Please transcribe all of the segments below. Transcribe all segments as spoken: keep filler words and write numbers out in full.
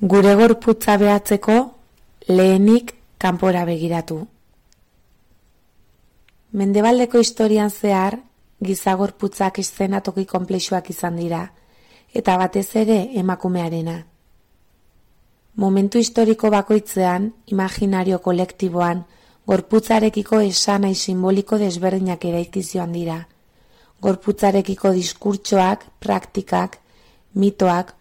Gure gorputza behatzeko, lehenik kanpora begiratu. Mendebaldeko historian zehar, giza gorputzak eszenatoki konplexuak izan dira, eta batez ere emakumearena. Momentu historiko bakoitzean, imaginario kolektiboan, gorputzarekiko esanai simboliko desberdinak eraikizioan dira. Gorputzarekiko diskurtsoak, praktikak, mitoak,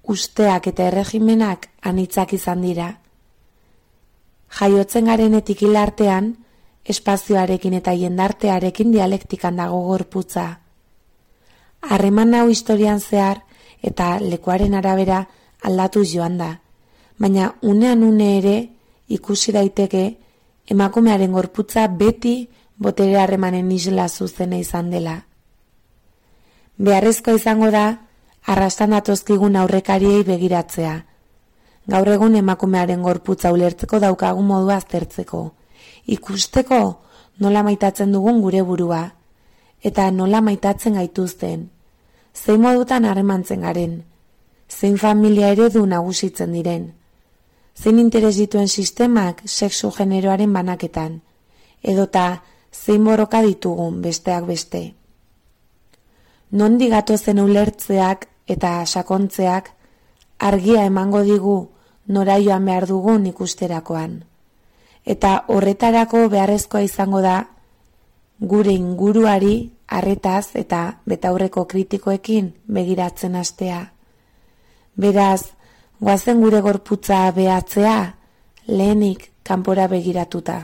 usteak eta erregimenak anitzak izan dira. Jaiotzen garenetik hil artean, espazioarekin eta jendartearekin dialektikan dago gorputza. Harreman hau historian zehar eta lekuaren arabera aldatu joan da, baina unean une ere ikusi daiteke emakumearen gorputza beti botere harremanen isla zuzena izan dela. Beharrezkoa izango da, arrastan datozkigun aurrekariei begiratzea. Gaur egun emakumearen gorputza ulertzeko daukagun modua aztertzeko. Ikusteko nola maitatzen dugun gure burua, eta nola maitatzen gaituzten. Zein modutan harremantzen garen, zein familia eredu nagusitzen diren, zein interes dituen sistemak sexu generoaren banaketan, edota zein borroka ditugun besteak beste. Nondi gatozen ulertzeak eta sakontzeak argia emango digu nora joan behar dugun ikusterakoan. Eta horretarako beharrezkoa izango da gure inguruari arretaz eta betaurreko kritikoekin begiratzen hastea. Beraz, goazen gure gorputza behatzea lehenik kanpora begiratuta.